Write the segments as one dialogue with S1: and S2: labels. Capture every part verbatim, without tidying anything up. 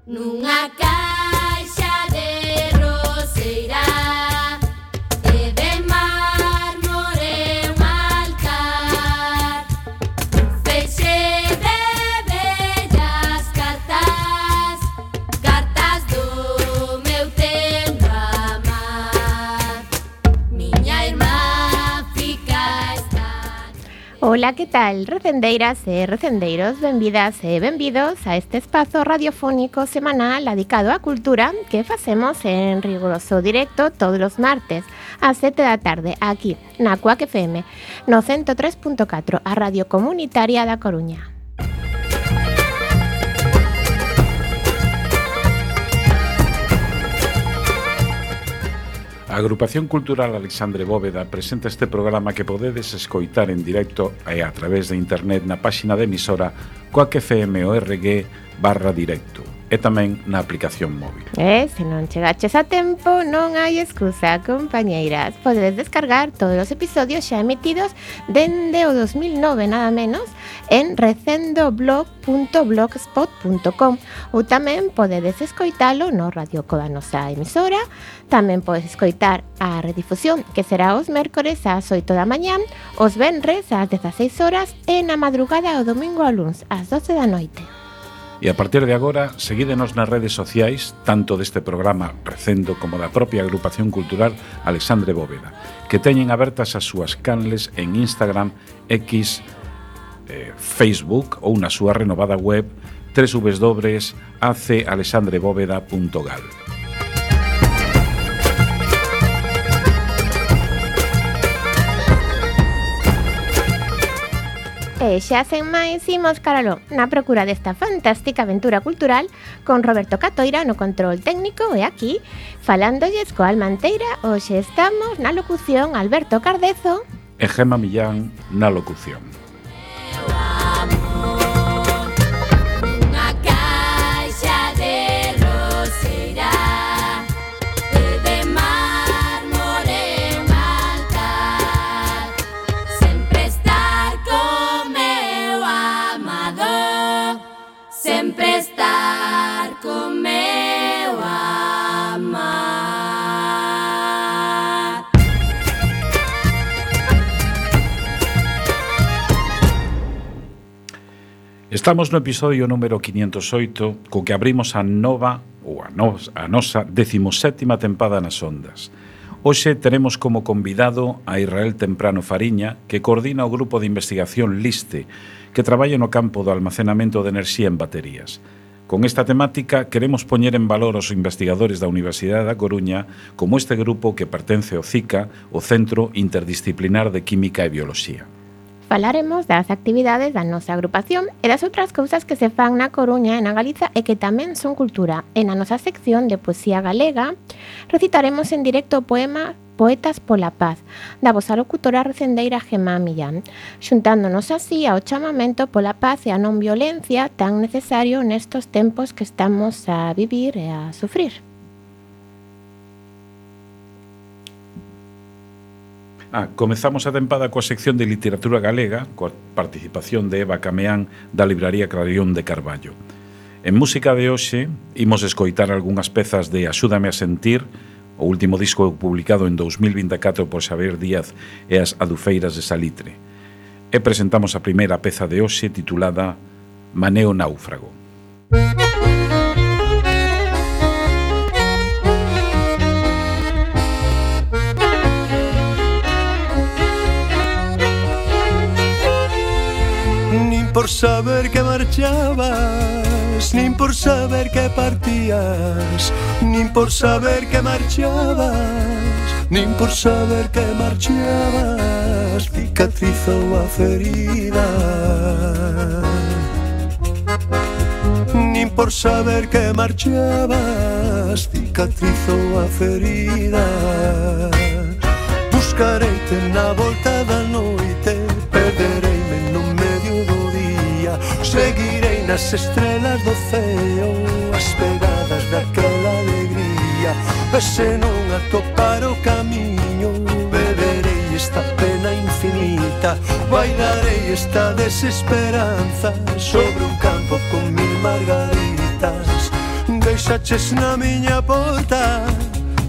S1: Nunha caixa de roseira e de mármore un altar, un feixe de bellas cartas, cartas do meu tempo a amar. Miña irmá fica estar.
S2: Ola, que tal, recendeiras e recendeiros? Benvidas e benvidos a este espazo radiofónico semanal dedicado á cultura que facemos en riguroso directo todos os martes ás sete da tarde aquí na Cuac F M no ciento tres punto catro, a Radio Comunitaria da Coruña.
S3: A Agrupación Cultural Alexandre Bóveda presenta este programa que podedes escoitar en directo e a través de internet na páxina de emisora coac f m o r g barra directo e tamén na aplicación móvil.
S2: E se non chegaches a tempo, non hai excusa, compañeiras. Podedes descargar todos os episodios xa emitidos dende o dos mil nove, nada menos, en recendoblog punto blogspot punto com, ou tamén podedes escoitalo no radioco da nosa emisora. Tamén podes escoitar a redifusión, que será os mércores ás oito da mañán, os venres ás dezaseis horas e na madrugada o domingo ao luns ás doce da noite.
S3: E a partir de agora, seguídenos nas redes sociais, tanto deste programa Recendo como da propia Agrupación Cultural Alexandre Bóveda, que teñen abertas as súas canles en Instagram, X, eh, Facebook ou na súa renovada web doble u doble u doble u punto a c alexandre bóveda punto gal.
S2: E xa sen máis, imos caralo na procura desta fantástica aventura cultural con Roberto Catoira no control técnico e aquí, falándolles coa Almanteira. Hoxe estamos na locución Alberto Cardezo
S3: E Gema Millán na locución.
S1: Sempre estar con meu amar.
S3: Estamos no episodio número quinientos oito, co que abrimos a nova ou a, nos, a nosa decimosétima tempada nas ondas. Hoxe teremos como convidado a Israel Temprano Fariña, que coordina o grupo de investigación LISTE, que traballa no campo do almacenamento de enerxía en baterías. Con esta temática queremos poñer en valor aos investigadores da Universidade da Coruña como este grupo que pertence ao CICA, o Centro Interdisciplinar de Química e Bioloxía.
S2: Falaremos das actividades da nosa agrupación e das outras cousas que se fan na Coruña e na Galiza e que tamén son cultura. E na nosa sección de poesía galega recitaremos en directo o poema Poetas pola Paz, da vosa locutora recendeira Gema Millán, xuntándonos así ao chamamento pola paz e a non violencia tan necesario nestos tempos que estamos a vivir e a sufrir.
S3: Ah, comezamos a tempada coa sección de literatura galega, coa participación de Eva Cameán da Libraría Clarión de Carballo. En música de hoxe, imos escoitar algunhas pezas de Axúdame a sentir, o último disco publicado en dous mil vinte e catro por Xavier Díaz e as Adufeiras de Salitre. E presentamos a primeira peza de hoxe titulada Maneo Náufrago.
S4: Nin por saber que marchabas, nin por saber que partías, nin por saber que marchabas, nin por saber que marchabas, cicatrizou a ferida. Nin por saber que marchabas, cicatrizou a ferida. Buscareite na volta da noite, perdereime no medio do día, seguirei nas estrelas do ceo, as pegadas daquela alegría. E se non atopar o camiño, beberei esta pena infinita, bailarei esta desesperanza sobre un campo con mil margaritas. deixaches na miña porta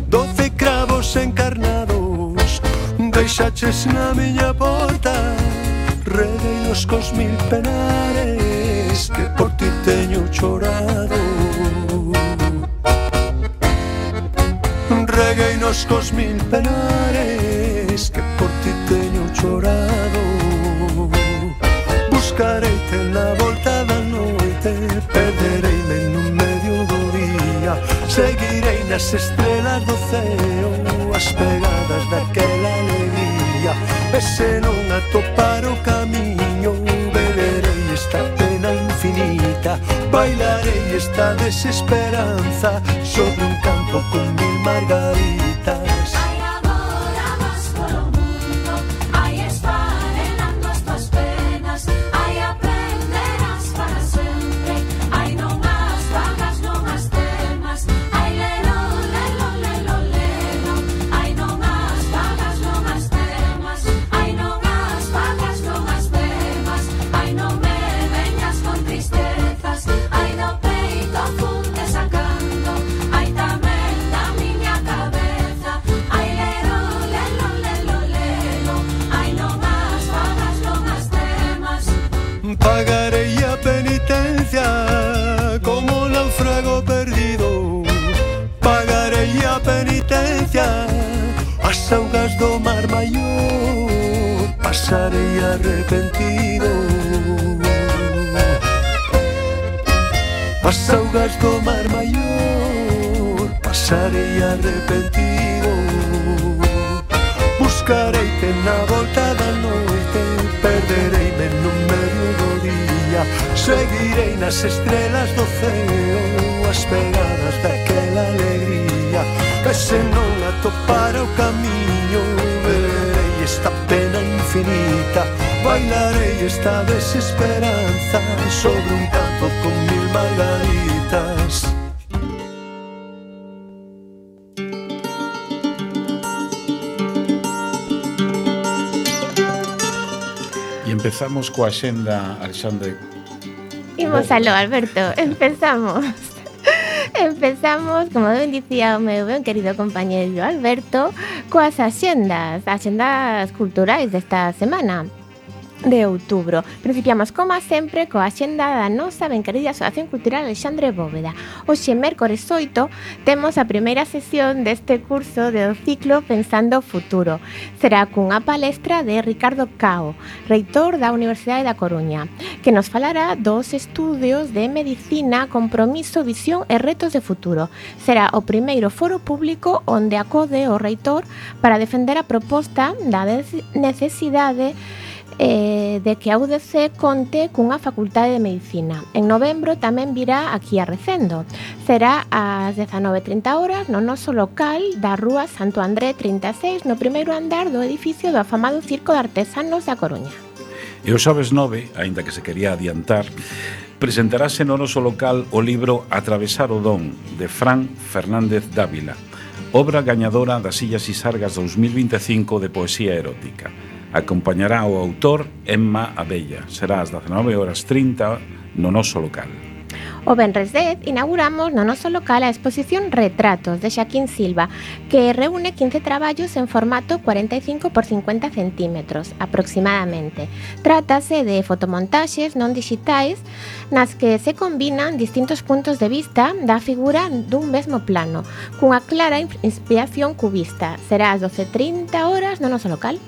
S4: doce cravos encarnados. Deixaches na miña porta regueinos cos mil penares que por ti teño chorado. Regueinos cos mil penares que por ti teño chorado. Buscareite na volta da noite, perdereime no medio do día. Seguirei nas estrelas do ceo, as pegadas daquela alegría. E se non atopar o camiño, beberei esta pena infinita. Bailarei esta desesperanza sobre un campo con mil margaritas. Pagarei a penitencia como náufrago perdido. Pagarei a penitencia as augas do mar maior. Pasarei arrepentido as augas do mar maior. Pasarei arrepentido. Buscareite na volta da noite, perdereime no medio do día. Seguirei nas estrelas do ceo, as pegadas daquela alegría. E se non atopar o camiño, verei esta pena infinita. Bailarei esta desesperanza sobre un campo con mil margaritas.
S3: Empezamos coa xenda, Alexandre.
S2: Imos aló, Alberto, empezamos. Empezamos, como ben dicía o meu ben querido compañeiro Alberto, coas axendas, axendas culturais desta semana de outubro. Principiamos, como sempre, coa axenda da nosa ben querida Asociación Cultural Alexandre Bóveda. Hoxe, mércores oito, temos a primeira sesión deste curso do ciclo Pensando o Futuro. Será cunha palestra de Ricardo Cao, reitor da Universidade da Coruña, que nos falará dos estudios de medicina, compromiso, visión e retos de futuro. Será o primeiro foro público onde acode o reitor para defender a proposta da necesidade Eh, de que a U D C conte cunha facultade de medicina. En novembro tamén virá aquí a Recendo. Será ás dezanove e trinta horas no noso local da Rúa Santo André trinta e seis, no primeiro andar do edificio do afamado Circo de Artesanos da Coruña.
S3: E o xoves nove, aínda que se quería adiantar, presentarase no noso local o libro Atravesar o Don, de Fran Fernández Dávila, obra gañadora das Illas Isargas dous mil vinte e cinco de poesía erótica. Acompañará o autor Emma Abella. Será ás dezanove horas trinta no noso local.
S2: O venres dez inauguramos no noso local a exposición Retratos de Xaquín Silva, que reúne quince traballos en formato cuarenta e cinco por cincuenta centímetros aproximadamente. Trátase de fotomontaxes non digitais nas que se combinan distintos puntos de vista da figura dun mesmo plano, cunha clara inspiración cubista. Será ás doce e trinta horas no noso local.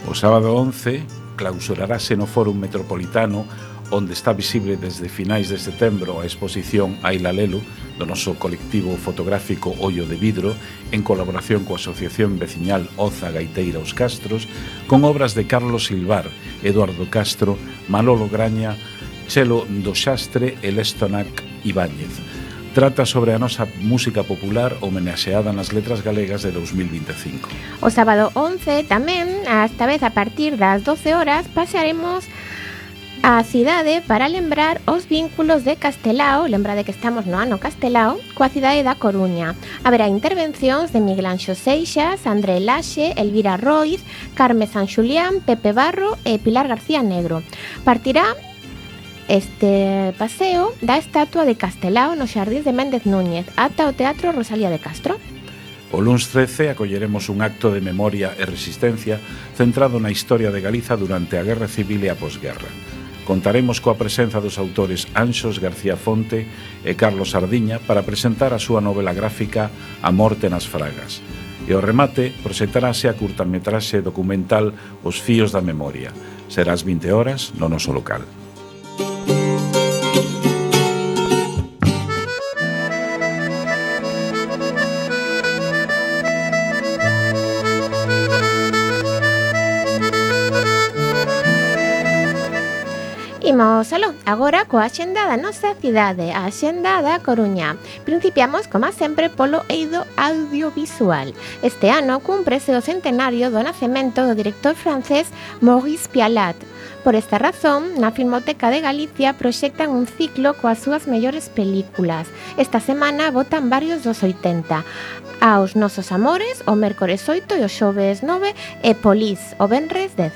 S3: O sábado once clausurarase no Fórum Metropolitano, onde está visible desde finais de setembro a exposición Aila Lelo do noso colectivo fotográfico Ollo de Vidro, en colaboración coa Asociación Veciñal Oza Gaiteira Os Castros, con obras de Carlos Silvar, Eduardo Castro, Manolo Graña, Chelo do Xastre e Lestonac Ibáñez. Trata sobre a nosa música popular homenaxeada nas letras galegas de dous mil vinte e cinco.
S2: O sábado once tamén, esta vez a partir das doce horas, pasaremos a cidade para lembrar os vínculos de Castelao, lembrade que estamos no ano Castelao, coa cidade da Coruña. Haberá intervencións de Miguel Anxo Seixas, André Laxe, Elvira Roiz, Carme San Xulián, Pepe Barro e Pilar García Negro. Partirá este paseo da estatua de Castelao nos xardíns de Méndez Núñez ata o Teatro Rosalía de Castro.
S3: O luns trece acolleremos un acto de memoria e resistencia centrado na historia de Galiza durante a Guerra Civil e a posguerra. Contaremos coa presenza dos autores Anxos García Fonte e Carlos Sardiña para presentar a súa novela gráfica A morte nas fragas. E ao remate proxectarase a curtametraxe documental Os fíos da memoria. Será ás vinte horas no noso local.
S2: Imos aló, agora coa axenda da nosa cidade, a axenda da Coruña. Principiamos, como sempre, polo eido audiovisual. Este ano cúmprese o centenario do nacemento do director francés Maurice Pialat. Por esta razón, na Filmoteca de Galicia proxectan un ciclo coas súas mellores películas. Esta semana votan varios dos oitenta. Aos nosos amores, o mércores oito e o xoves nove, e Polis, o venres dez.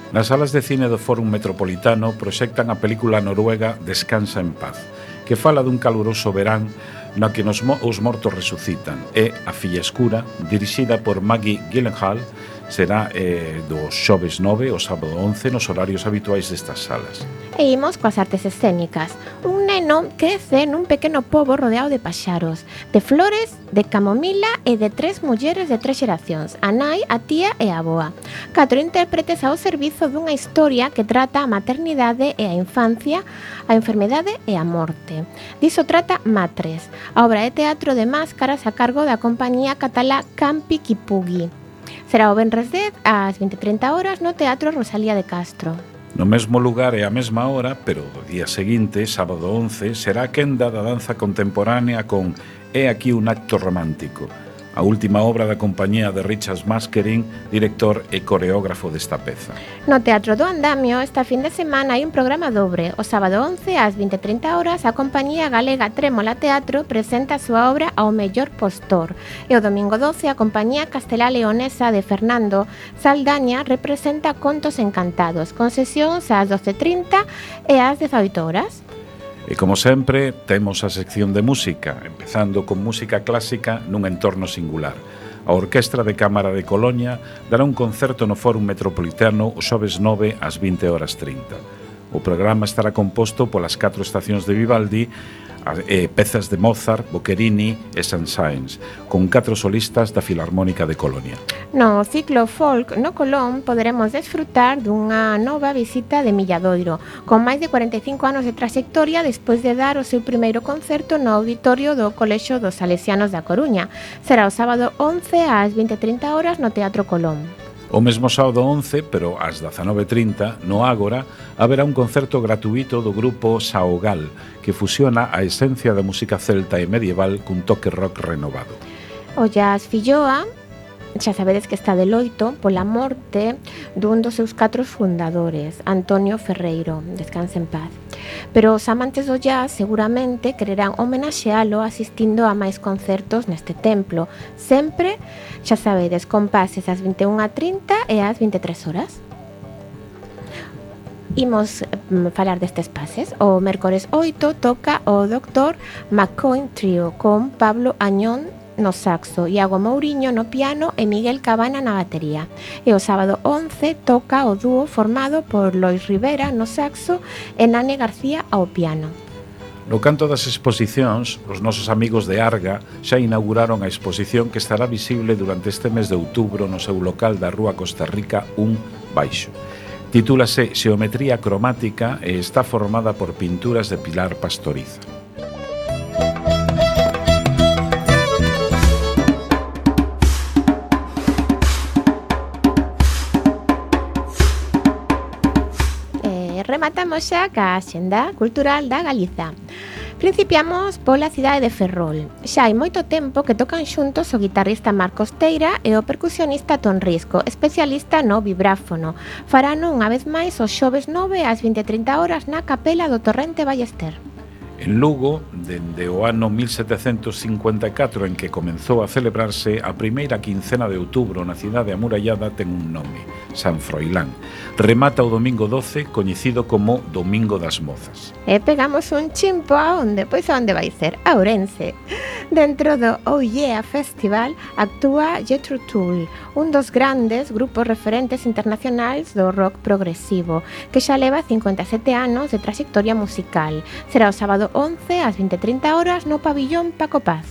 S3: Nas salas de cine do Fórum Metropolitano proxectan a película noruega Descansa en paz, que fala dun caluroso verán na que nos mo os mortos resucitan, e A filla escura, dirixida por Maggie Gyllenhaal, será eh, do xoves nove ao sábado once nos horarios habituais destas salas.
S2: E imos coas artes escénicas. Un neno crece nun pequeno pobo rodeado de paxaros, de flores, de camomila e de tres mulleres de tres xeracións, a nai, a tía e a avoa. Catro intérpretes ao servizo dunha historia que trata a maternidade e a infancia, a enfermedade e a morte. Diso trata Matres, a obra de teatro de máscaras a cargo da compañía catalá Campi Kipugui. Será o venres dez ás vinte e trinta horas no Teatro Rosalía de Castro.
S3: No mesmo lugar e á mesma hora, pero do día seguinte, sábado once, será a quenda da danza contemporánea con É aquí un acto romántico, a última obra da compañía de Richard Maskerin, director e coreógrafo desta peza.
S2: No Teatro do Andamio, esta fin de semana hai un programa dobre. O sábado once ás vinte e trinta horas, a compañía galega Trémola Teatro presenta a súa obra Ao mellor postor. E o domingo doce, a compañía castelá leonesa de Fernando Saldaña representa Contos encantados, con sesións ás doce e trinta e ás dezaoito horas.
S3: E como sempre, temos a sección de música, empezando con música clásica nun entorno singular. A Orquestra de Cámara de Colonia dará un concerto no Fórum Metropolitano o xoves nove ás vinte horas trinta. O programa estará composto polas catro estacións de Vivaldi, e pezas de Mozart, Boccherini e Saint-Saëns, con catro solistas da Filarmónica de Colonia.
S2: No ciclo folk no Colón poderemos desfrutar dunha nova visita de Milladoiro, con máis de cuarenta e cinco anos de trayectoria despois de dar o seu primeiro concerto no auditorio do Colexio dos Salesianos da Coruña. Será o sábado once ás vinte e trinta horas no Teatro Colón.
S3: O mesmo sábado once, pero ás dezanove e trinta, no Ágora, haberá un concerto gratuito do grupo Saogal, que fusiona a esencia da música celta e medieval cun toque rock renovado.
S2: O jazz filloa, xa sabedes que está de loito pola morte dun dos seus catro fundadores, Antonio Ferreiro, descanse en paz. Pero os amantes do jazz seguramente quererán homenaxealo asistindo a máis concertos neste templo, sempre, xa sabedes, con pases ás vinte e unha e trinta e ás vinte e tres horas. Imos mm, falar destes pases. O mércores oito toca o doctor McCoy Trio con Pablo Añón no saxo, Iago Mouriño no piano e Miguel Cabana na batería. E o sábado once toca o dúo formado por Lois Rivera no saxo e Nane García ao piano.
S3: No canto das exposicións, os nosos amigos de Arga xa inauguraron a exposición que estará visible durante este mes de outubro no seu local da Rúa Costa Rica un baixo. Titúlase Xeometría cromática e está formada por pinturas de Pilar Pastoriza.
S2: Rematamos xa ca axenda cultural da Galiza. Principiamos pola cidade de Ferrol. Xa hai moito tempo que tocan xuntos o guitarrista Marcos Teira e o percusionista Ton Risco, especialista no vibráfono. Farano unha vez máis os xoves nove ás vinte e trinta horas na capela do Torrente Ballester.
S3: E En Lugo, dende o ano mil setecentos cincuenta e catro en que comenzou a celebrarse, a primeira quincena de outubro na cidade amurallada ten un nome, San Froilán. Remata o domingo doce, coñecido como Domingo das Mozas.
S2: E pegamos un chimpo a onde? Pois a onde vai ser? A Ourense. Dentro do Oh Yeah Festival actúa Jethro Tull, un dos grandes grupos referentes internacionais do rock progresivo, que xa leva cincuenta e sete anos de trayectoria musical. Será o sábado once ás vinte e trinta horas no pabillón Paco Paz.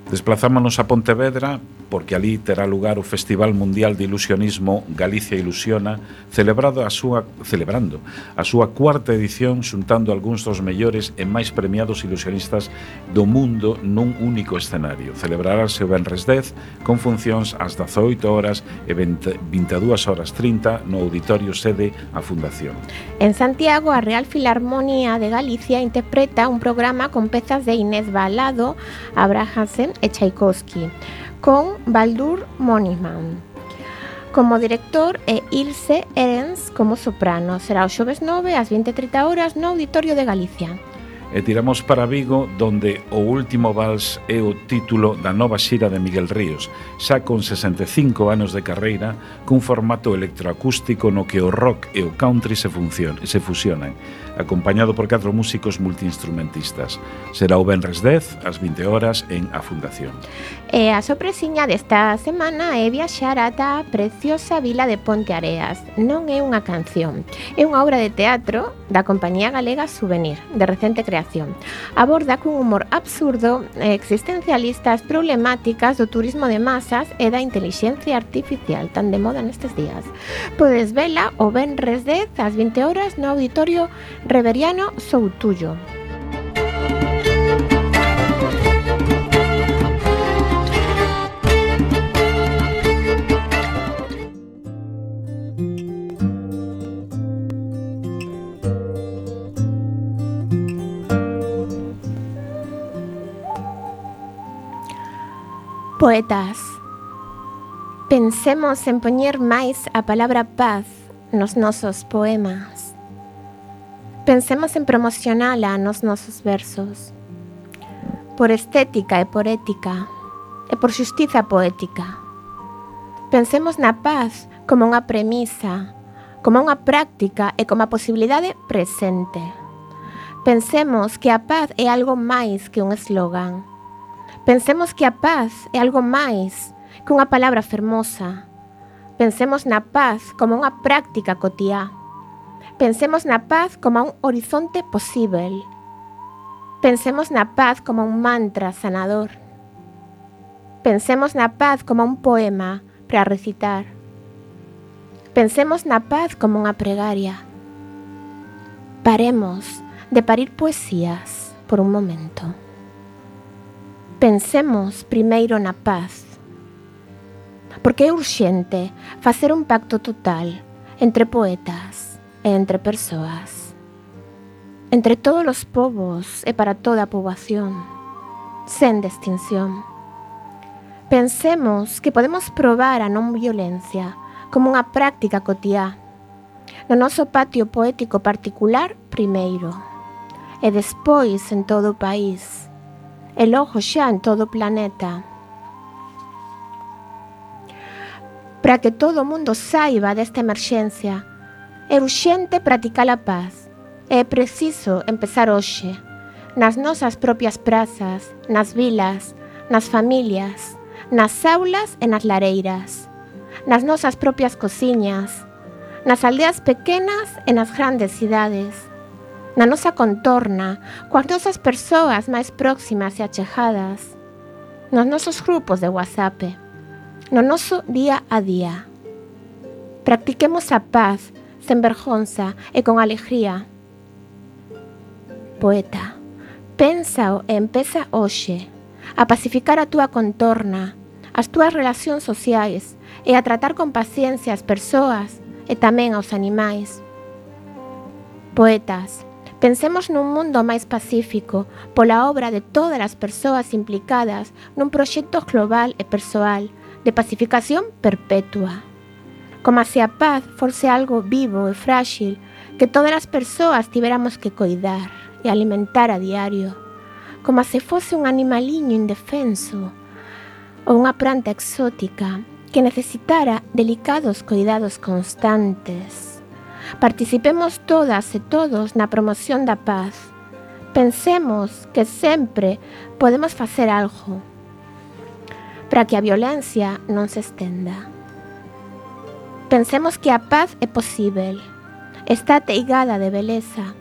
S3: Desplazámonos a Pontevedra porque ali terá lugar o Festival Mundial de Ilusionismo Galicia Ilusiona, celebrado a súa, celebrando a súa cuarta edición, xuntando algúns dos mellores e máis premiados ilusionistas do mundo nun único escenario. Celebrarase o venres dez con funcións ás dezaoito horas e vinte e dúas horas trinta no auditorio sede a Fundación.
S2: En Santiago, a Real Filarmonía de Galicia interpreta un programa con pezas de Inés Balado, Abrahamsen e Tchaikovsky, con Baldur Moniman como director e Ilse Ehrens como soprano. Será o xoves nove ás vinte e trinta horas no Auditorio de Galicia.
S3: E tiramos para Vigo, donde o último vals é o título da nova xira de Miguel Ríos, xa con sesenta e cinco anos de carreira, cun formato electroacústico no que o rock e o country se, funcion, se fusionan, acompañado por catro músicos multiinstrumentistas. Será o venres dez ás vinte horas en A Fundación.
S2: E a sorpresiña desta semana é viaxar ata a preciosa vila de Ponteareas. Non é unha canción, é unha obra de teatro da compañía galega Souvenir, de recente creación. Aborda cun humor absurdo e existencialista as problemáticas do turismo de masas e da intelixencia artificial, tan de moda nestes días. Podes vela o venres dez ás vinte horas no Auditorio Reveriano Soutullo. Poetas, pensemos en poñer máis a palabra paz nos nosos poemas. Pensemos en promocionala nos nosos versos. Por estética e por ética, e por xustiza poética. Pensemos na paz como unha premisa, como unha práctica e como a posibilidade presente. Pensemos que a paz é algo máis que un eslogan. Pensemos que a paz é algo máis que unha palabra fermosa. Pensemos na paz como unha práctica cotiá. Pensemos na paz como un horizonte posível. Pensemos na paz como un mantra sanador. Pensemos na paz como un poema para recitar. Pensemos na paz como unha pregaria. Paremos de parir poesías por un momento. Pensemos primeiro na paz, porque é urxente facer un pacto total entre poetas e entre persoas, entre todos os povos e para toda a poboación, sen distinción. Pensemos que podemos probar a non violencia como unha práctica cotiá, no noso patio poético particular primeiro, e despois en todo o país, e logo xa en todo o planeta. Para que todo o mundo saiba desta emerxencia, é urxente practicar a paz. É preciso empezar hoxe, nas nosas propias prazas, nas vilas, nas familias, nas aulas e nas lareiras, nas nosas propias cociñas, nas aldeas pequenas e nas grandes cidades, na nosa contorna, coas nosas persoas máis próximas e achegadas, nos nosos grupos de WhatsApp, no noso día a día. Practiquemos a paz, sen vergonza e con alegría. Poeta, pensa e empeza hoxe a pacificar a túa contorna, as túas relacións sociais e a tratar con paciencia as persoas e tamén aos animais. Poetas, pensemos nun mundo máis pacífico pola obra de todas as persoas implicadas nun proxecto global e persoal de pacificación perpetua. Como se a paz fose algo vivo e frágil que todas as persoas tiveramos que coidar e alimentar a diario. como se fose un animaliño indefenso ou unha planta exótica que necesitara delicados cuidados constantes. Participemos todas e todos na promoción da paz. Pensemos que sempre podemos facer algo para que a violencia non se estenda. Pensemos que a paz é posível, está ateigada de beleza.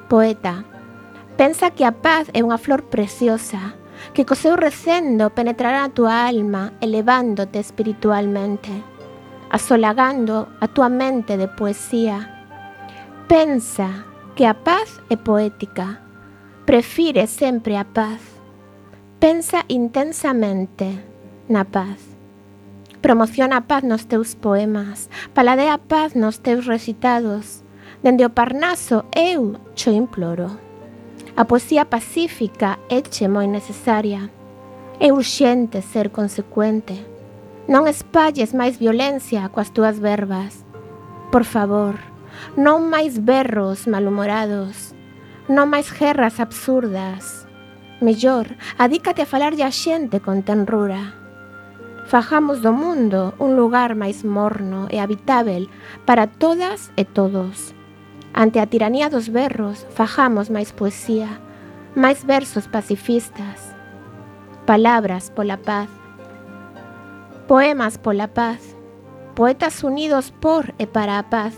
S2: Poeta, pensa que a paz é unha flor preciosa, que co seu recendo penetrará a túa alma, elevándote espiritualmente, asolagando a túa mente de poesía. Pensa que a paz é poética, prefire sempre a paz. Pensa intensamente na paz. Promociona a paz nos teus poemas, paladea a paz nos teus recitados. Dende o Parnaso eu cho imploro. A poesía pacífica éche moi necesaria. É urxente ser consecuente. Non espalles máis violencia coas túas verbas. Por favor, non máis berros malhumorados, non máis guerras absurdas. Mellor, adícate a falarlle a xente con tenrura. Fajamos do mundo un lugar máis morno e habitável para todas e todos. Ante a tiranía dos berros, fajamos máis poesía, máis versos pacifistas, palabras pola paz, poemas pola paz, poetas unidos por e para a paz.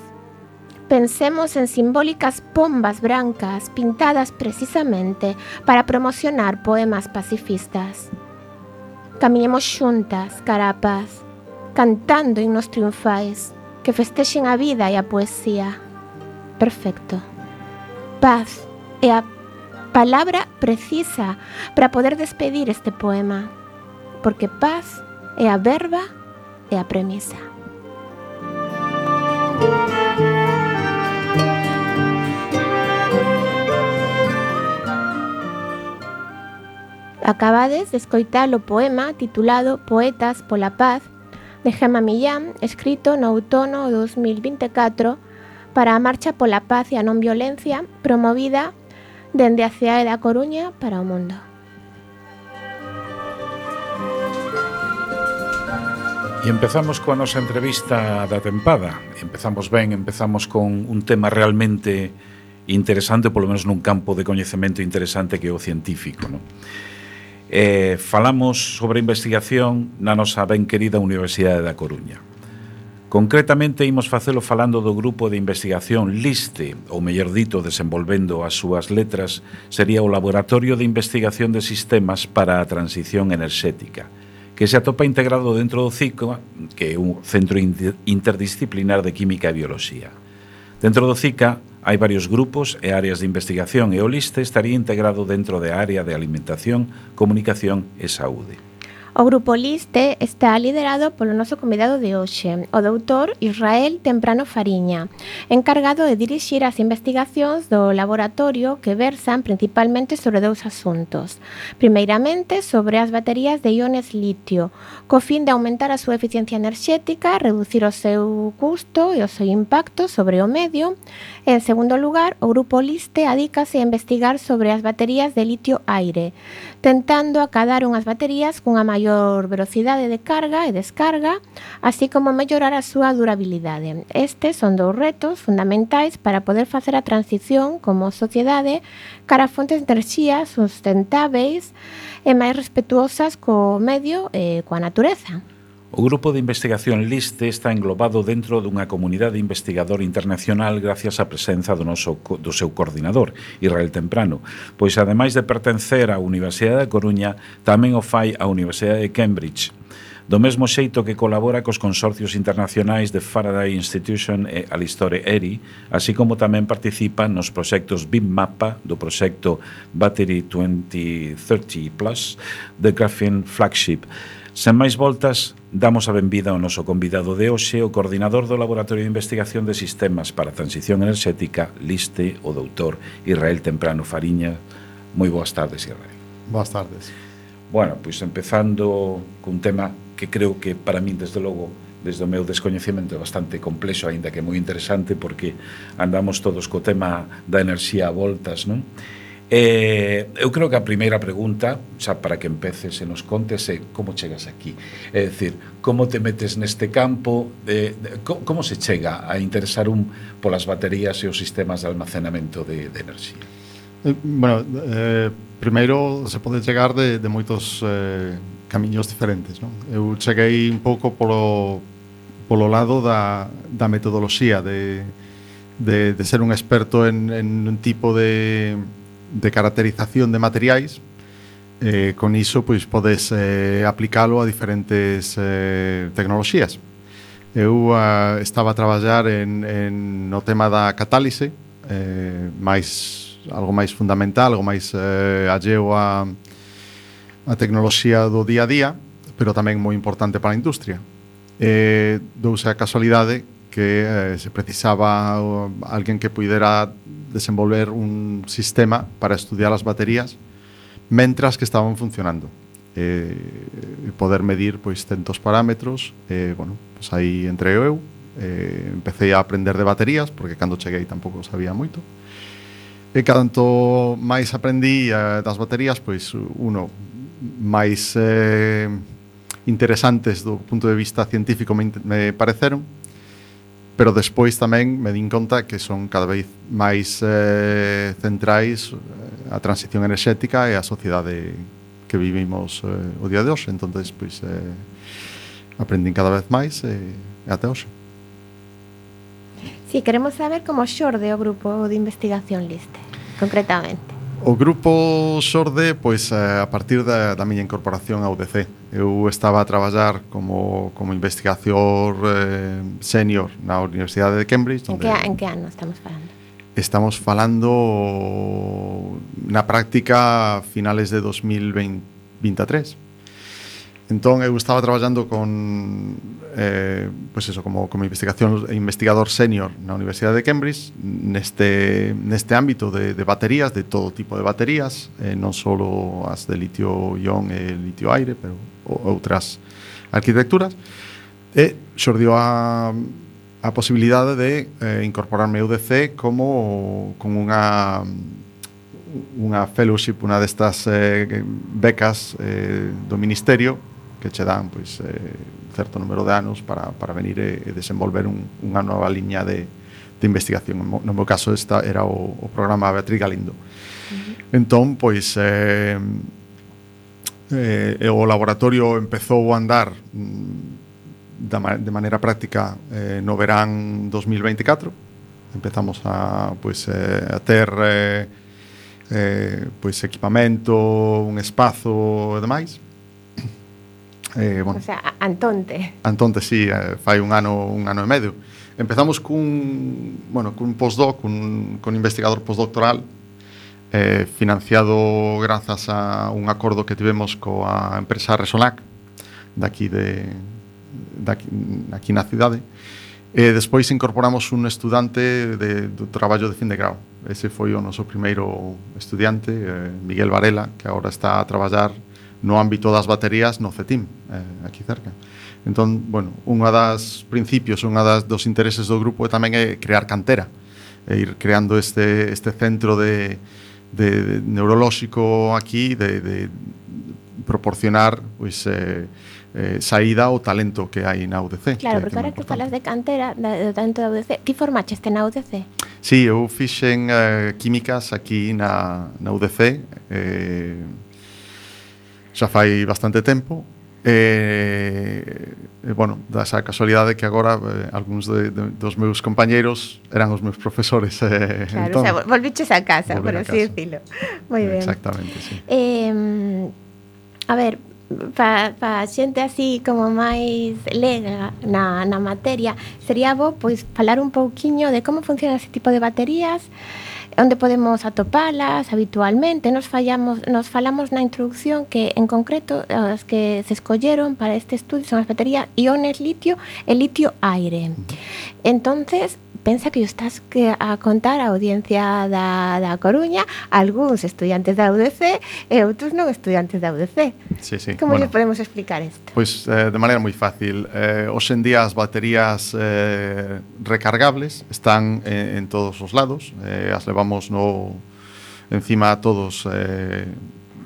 S2: Pensemos en simbólicas pombas brancas pintadas precisamente para promocionar poemas pacifistas. Caminemos xuntas cara a paz, cantando himnos triunfais que festexen a vida e a poesía. Perfecto. Paz é a palabra precisa para poder despedir este poema, porque paz é a verba e a premisa. Acabades de escoitar o poema titulado Poetas pola Paz de Gemma Millán, escrito no outono de dos mil vinte e catro para a Marcha pola Paz e a Non Violencia promovida dende a cidade da Coruña para o mundo.
S3: E empezamos coa nosa entrevista da tempada. Empezamos ben, empezamos con un tema realmente interesante, polo menos nun campo de coñecemento interesante que é o científico, non? Eh, falamos sobre investigación na nosa ben querida Universidade da Coruña. Concretamente, imos facelo falando do grupo de investigación LISTE, ou mellor dito, desenvolvendo as súas letras, sería o Laboratorio de Investigación de Sistemas para a Transición Enerxética, que se atopa integrado dentro do CICA, que é un centro interdisciplinar de Química e Bioloxía. Dentro do CICA hai varios grupos e áreas de investigación e o LISTE estaría integrado dentro da área de alimentación, comunicación e saúde.
S2: O grupo LISTE está liderado polo noso convidado de hoxe, o doutor Israel Temprano Fariña, encargado de dirixir as investigacións do laboratorio que versan principalmente sobre dous asuntos. Primeiramente, sobre as baterías de iones litio, co fin de aumentar a súa eficiencia enerxética, reducir o seu custo e o seu impacto sobre o medio. En segundo lugar, o grupo LISTE adícase a investigar sobre as baterías de litio-aire, tentando acadar unhas baterías cunha maior velocidade de carga e descarga, así como mellorar a súa durabilidade. Estes son dous retos fundamentais para poder facer a transición como sociedade cara a fontes de enerxía sustentáveis e máis respetuosas co medio e coa natureza.
S3: O grupo de investigación LISTE está englobado dentro dunha comunidade investigador internacional gracias á presenza do, noso, do seu coordinador, Israel Temprano, pois ademais de pertencer á Universidade da Coruña, tamén o fai a Universidade de Cambridge, do mesmo xeito que colabora cos consorcios internacionais de Faraday Institution e Alistore ERI, así como tamén participa nos proxectos BIMMAPA do proxecto Battery twenty thirty plus, The Graphene Flagship. Sen máis voltas, damos a benvida ao noso convidado de hoxe, o coordinador do Laboratorio de Investigación de Sistemas para a Transición Enerxética, LISTE, o doutor Israel Temprano Fariña. Moi boas tardes, Israel.
S5: Boas tardes.
S3: Bueno, pois empezando cun tema que creo que para min, desde logo, desde o meu descoñecemento é bastante complexo, aínda que moi interesante, porque andamos todos co tema da enerxía a voltas, non? Eh, eu creo que a primeira pregunta, xa para que empeces e nos contes, é como chegas aquí. É dicir, como te metes neste campo, de, de, como se chega a interesar un polas baterías e os sistemas de almacenamento de, de enerxía?
S5: Eh, bueno, eh, primeiro se pode chegar de, de moitos eh, camiños diferentes, non? Eu cheguei un pouco polo, polo lado da, da metodoloxía, de, de, de ser un experto en, en un tipo de de caracterización de materiais. Eh, con iso pois podes eh, aplicalo a diferentes eh, tecnoloxías. Eu uh, estaba a traballar en, en no tema da catálise, eh, máis, algo máis fundamental, algo máis eh, alleo a, a tecnoloxía do día a día, pero tamén moi importante para a industria. Eh, douse a casualidade que eh, se precisaba uh, alguén que puidera desenvolver un sistema para estudiar as baterías mentras que estaban funcionando, eh, poder medir pois centos parámetros. Eh, bueno, pois aí entre eu eh, empecé a aprender de baterías, porque cando cheguei tampouco sabía moito, e canto máis aprendí eh, das baterías, pois uno máis eh, interesantes do punto de vista científico me, me pareceron, pero despois tamén me din conta que son cada vez máis eh, centrais a transición enerxética e a sociedade que vivimos eh, o día de hoxe. Entonces, pois, eh, aprendín cada vez máis e eh, até hoxe.
S2: Sí, queremos saber como xorde o grupo de investigación LISTE, concretamente.
S5: O grupo xorde pois, a partir da, da miña incorporación ao U D C. Eu estaba a traballar como, como investigador eh, senior na Universidade de Cambridge.
S2: En que, en que ano estamos falando?
S5: Estamos falando na práctica finales de dos mil veintitrés. Entón, eu estaba traballando con eh, pois eso, como, como investigación investigador senior na Universidade de Cambridge neste, neste ámbito de, de baterías, de todo tipo de baterías, eh, non só as de litio-ion e litio-aire, pero outras arquitecturas. E xordiu a, a posibilidade de eh, incorporarme ao U D C como con unha unha fellowship, unha destas eh, becas eh, do Ministerio que che dan pois, eh, certo número de anos para, para venir e, e desenvolver un, unha nova liña de, de investigación. No meu caso esta era o, o programa Beatriz Galindo. Uh-huh. Entón, pois eh, eh, o laboratorio empezou a andar mm, da, de maneira práctica eh, no verán dos mil veinticuatro. Empezamos a, pois, eh, a ter eh, eh, pois, equipamento, un espazo e demais. Eh, bueno,
S2: o sea, Antonte.
S5: Antonte, sí, eh, fai un ano, un ano e medio. Empezamos cun, bueno, cun postdoc, cun, cun investigador postdoctoral eh, financiado grazas a un acordo que tivemos coa empresa Resolac daqui de daqui, aquí na cidade. E despois incorporamos un estudante de, do traballo de fin de grau. Ese foi o noso primeiro estudiante, eh, Miguel Varela, que agora está a traballar no ámbito das baterías no CETIM, eh, aquí cerca. Entón, bueno, unha das principios, unha das dos intereses do grupo é tamén é crear cantera, e ir creando este, este centro de, de, de neurolóxico aquí, de, de proporcionar pois, eh, eh, saída ao talento que hai na U D C.
S2: Claro,
S5: que,
S2: porque ahora que falas de cantera, do talento da U D C, ti formaches na U D C?
S5: Sí, eu fixen eh, químicas aquí na, na U D C, eh, xa fai bastante tempo, e, e bueno, da esa casualidade que agora eh, algúns de, de, dos meus compañeiros eran os meus profesores. Eh,
S2: claro,
S5: entón,
S2: o sea, volviches a casa, por así
S5: casa.
S2: decirlo. Moi ben.
S5: Exactamente, sí.
S2: Eh, a ver, para pa xente así como máis lega na, na materia, sería bo pois falar un pouquiño de como funciona ese tipo de baterías, onde podemos atopalas habitualmente. Nos fallamos, nos falamos na introducción que en concreto as que se escolleron para este estudio son as baterías iones litio e litio-aire. Entonces, pensa que estás que a contar a audiencia da, da Coruña, algúns estudiantes da U D C e outros non estudiantes da U D C.
S5: Sí, sí.
S2: Como
S5: bueno,
S2: lle podemos explicar isto?
S5: Pois eh, de maneira moi fácil. Eh, hoxe en día as baterías eh, recargables están en, en todos os lados. Eh, as levamos no, encima todos eh,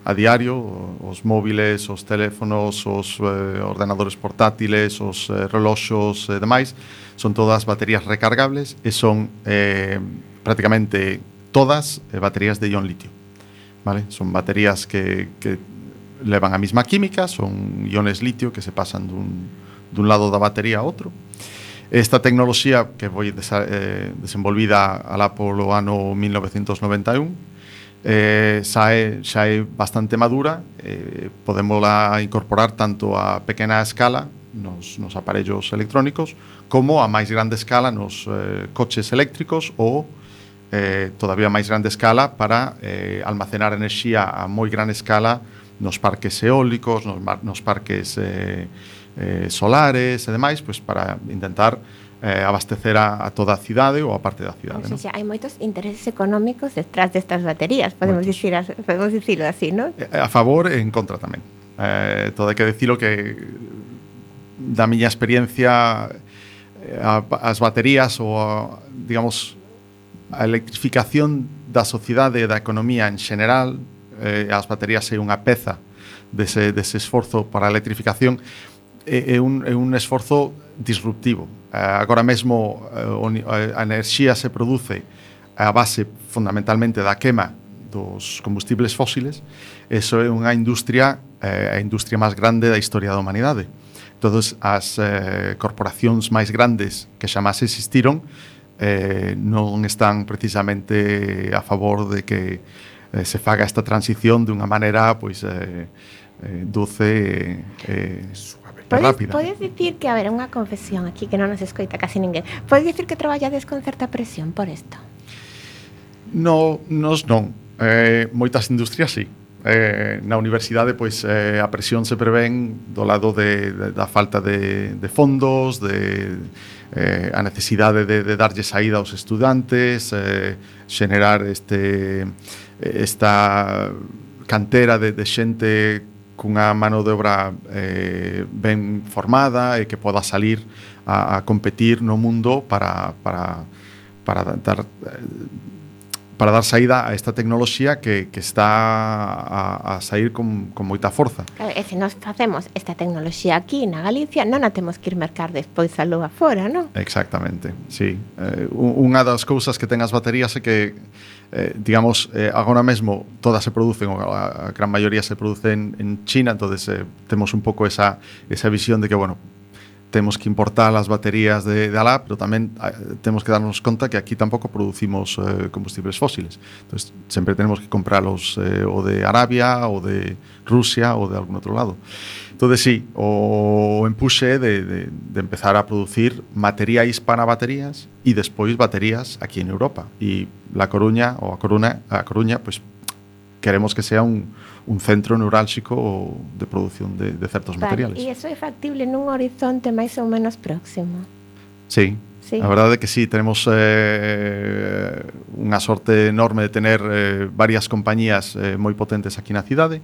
S5: a diario, os móviles, os teléfonos, os eh, ordenadores portátiles, os eh, reloxos e demais, son todas baterías recargables e son eh, prácticamente todas eh, baterías de ion litio, vale? Son baterías que, que levan a mesma química, son iones litio que se pasan dun, dun lado da batería a outro. Esta tecnoloxía que foi desa, eh, desenvolvida alá polo ano mil novecentos noventa e un eh, xa, é, xa é bastante madura, eh, podémola incorporar tanto a pequena escala nos, nos aparellos electrónicos como a máis grande escala nos eh, coches eléctricos ou eh, todavía máis grande escala para eh, almacenar enerxía a moi gran escala nos parques eólicos, nos, nos parques eh, eh, solares e demais, pois para intentar eh, abastecer a, a toda a cidade ou a parte da cidade.
S2: O sea,
S5: ¿no?
S2: hai moitos intereses económicos detrás destas baterías, podemos dicir, podemos dicirlo así, ¿no?
S5: A favor e en contra tamén. Eh, todo hai que dicilo que da miña experiencia a, as baterías ou a, digamos a electrificación da sociedade e da economía en general, eh, as baterías é unha peza dese, dese esforzo para a electrificación, é, é, un, é un esforzo disruptivo. Eh, agora mesmo eh, a enerxía se produce a base fundamentalmente da quema dos combustibles fósiles. Eso é unha industria, eh, a industria máis grande da historia da humanidade. Todas as eh, corporacións máis grandes que xamás existiron eh, non están precisamente a favor de que eh, se faga esta transición dunha maneira pois eh, eh, doce e eh, rápida.
S2: Podes dicir que, a ver, unha confesión aquí que non nos escoita casi ninguén. Podes dicir que traballades con certa presión por isto?
S5: No, nos non. Eh, moitas industrias sí. Eh, na universidade pois eh, a presión se prevén do lado de, de, da falta de, de fondos, de eh, a necesidade de, de darlle saída aos estudantes, eh, xenerar este esta cantera de, de xente cunha mano de obra eh, ben formada e que poda salir a, a competir no mundo para, para, para dar para dar saída a esta tecnoloxía que, que está a, a sair con, con moita forza.
S2: Claro, e se nos facemos esta tecnoloxía aquí na Galicia, non a temos que ir mercar despois a lúa fora, non?
S5: Exactamente, sí. Eh, unha das cousas que ten as baterías é que eh, digamos, eh, agora mesmo todas se producen, ou a, a gran maioría se producen en China, entonces eh, temos un pouco esa, esa visión de que, bueno, temos que importar as baterías de, de alá, pero tamén eh, temos que darnos conta que aquí tampouco producimos eh, combustibles fósiles. Entonces, sempre tenemos que comprarlos eh, o de Arabia, ou de Rusia, ou de algún outro lado. Entonces, sí, o empuxe de, de, de empezar a producir materiais para baterías e despois baterías aquí en Europa. E La Coruña, ou a Coruña, a Coruña, pues, queremos que sea un, un centro neurálxico de produción de, de certos
S2: vale,
S5: materiales.
S2: E iso é factible nun horizonte máis ou menos próximo?
S5: Sí,
S2: sí.
S5: A verdade é que sí, tenemos eh, unha sorte enorme de tener eh, varias compañías eh, moi potentes aquí na cidade.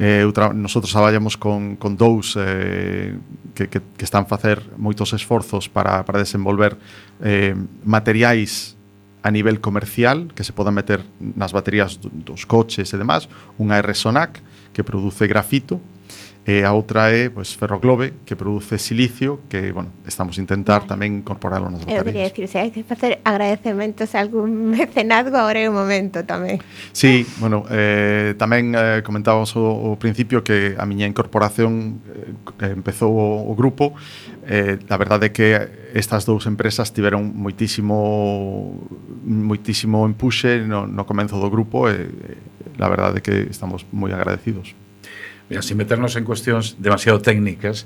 S5: Eh, outra, nosotros traballamos con, con dous eh, que, que, que están a facer moitos esforzos para, para desenvolver eh, materiais a nivel comercial que se podan meter nas baterías dos coches e demás. Unha é Resonac, que produce grafito, e a outra é pois, Ferroglobe, que produce silicio, que, bueno, estamos a intentar vale. tamén incorporarlo nas baterías.
S2: Eu quería decir, se hai que facer agradecementos a algún mecenazgo, agora é o momento tamén.
S5: Sí, bueno, eh, tamén eh, comentábamos ao, ao principio que a miña incorporación eh, empezou o, o grupo. Eh, a verdade é que estas dous empresas tiveron moitísimo moitísimo empuxe no, no comenzo do grupo e eh, a verdade é que estamos moi agradecidos.
S3: Mira, sin meternos en cuestións demasiado técnicas,